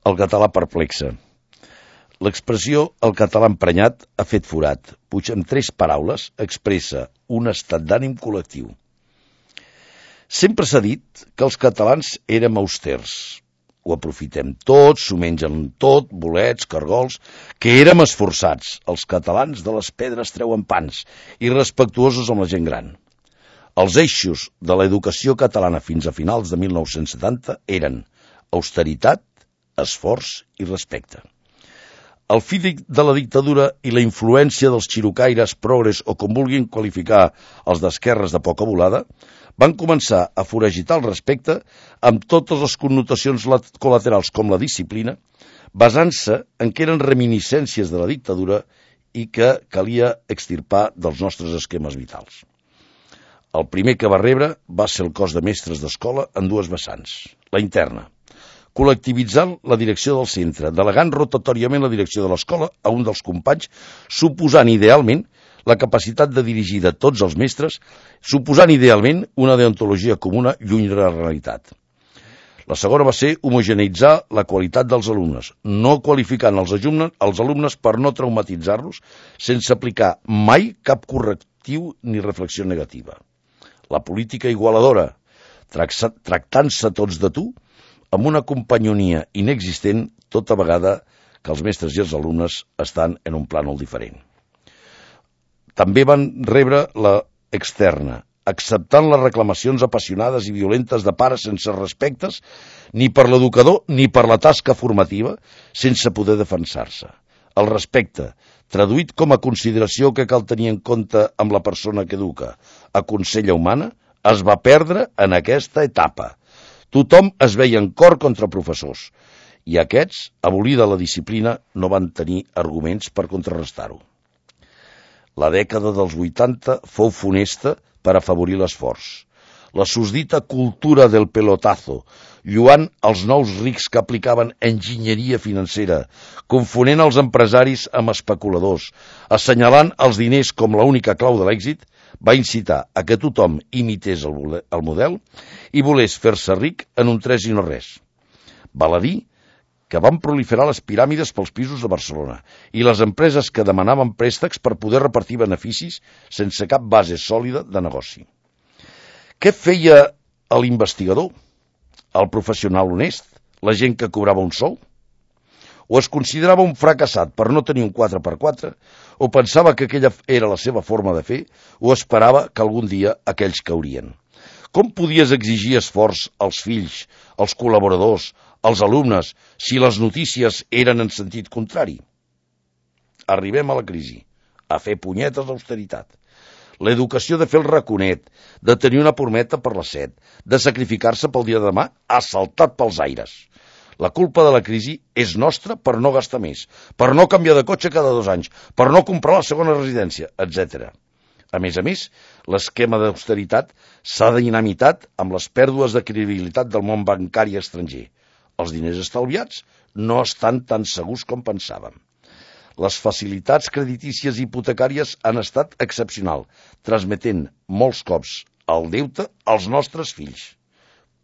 El català perplexa. L'expressió «el català emprenyat» ha fet forat. Puig amb 3 paraules expressa un estat d'ànim col·lectiu. Sempre s'ha dit que els catalans érem austers. Ho aprofitem tot, s'ho mengen tot, bolets, cargols, que érem esforçats. Els catalans de les pedres treuen pans i respectuosos amb la gent gran. Els eixos de l'educació catalana fins a finals de 1970 eren austeritat, esforç i respecte. El fi de la dictadura i la influència dels xirocaires, progres o com vulguin qualificar els d'esquerres de poca volada, van començar a foragitar el respecte amb totes les connotacions col·laterals com la disciplina, basant-se en que eren reminiscències de la dictadura i que calia extirpar dels nostres esquemes vitals. El primer que va rebre va ser el cos de mestres d'escola en 2 vessants. La interna, col·lectivitzant la direcció del centre, delegant rotatòriament la direcció de l'escola a un dels companys, suposant idealment la capacitat de dirigir de tots els mestres, suposant idealment una deontologia comuna lluny de la realitat. La segona va ser homogeneitzar la qualitat dels alumnes, no qualificant els alumnes per no traumatitzar-los, sense aplicar mai cap correctiu ni reflexió negativa. La política igualadora, tractant-se tots de tu, amb una companyonia inexistent tota vegada que els mestres i els alumnes estan en un plànol diferent. També van rebre la externa, acceptant les reclamacions apassionades i violentes de pares sense respectes ni per l'educador ni per la tasca formativa, sense poder defensar-se. El respecte, traduït com a consideració que cal tenir en compte amb la persona que educa, aconsella humana, es va perdre en aquesta etapa. Tothom es veia en cor contra professors, i aquests, abolida la disciplina, no van tenir arguments per contrarrestar-ho. La dècada dels 80 fou funesta per afavorir l'esforç. La susdita cultura del pelotazo, lluant els nous rics que aplicaven enginyeria financera, confonent els empresaris amb especuladors, assenyalant els diners com l'única clau de l'èxit, va incitar a que tothom imités el model i volés fer-se ric en un 3 i no res. Val a dir que van proliferar les piràmides pels pisos de Barcelona i les empreses que demanaven préstecs per poder repartir beneficis sense cap base sòlida de negoci. Què feia l'investigador? El professional honest? La gent que cobrava un sou? O es considerava un fracassat per no tenir un 4x4, o pensava que aquella era la seva forma de fer, o esperava que algun dia aquells caurien. Com podies exigir esforç als fills, als col·laboradors, als alumnes, si les notícies eren en sentit contrari? Arribem a la crisi, a fer punyetes d'austeritat. L'educació de fer el raconet, de tenir una pormeta per les 7, de sacrificar-se pel dia de demà, assaltat pels aires. La culpa de la crisi és nostra per no gastar més, per no canviar de cotxe cada 2 anys, per no comprar la segona residència, etc. A més, l'esquema d'austeritat s'ha dinamitat amb les pèrdues de credibilitat del món bancari estranger. Els diners estalviats no estan tan segurs com pensàvem. Les facilitats creditícies i hipotecàries han estat excepcionals, transmetent molts cops el deute als nostres fills.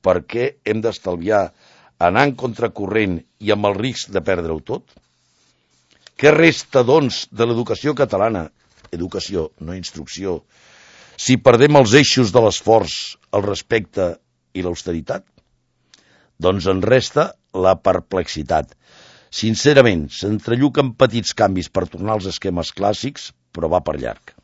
Per què hem d'estalviar anant contracorrent i amb el risc de perdre-ho tot? Què resta, doncs, de l'educació catalana? Educació, no instrucció. Si perdem els eixos de l'esforç, el respecte i l'austeritat? Doncs en resta la perplexitat. Sincerament, s'entrelluquen petits canvis per tornar als esquemes clàssics, però va per llarg.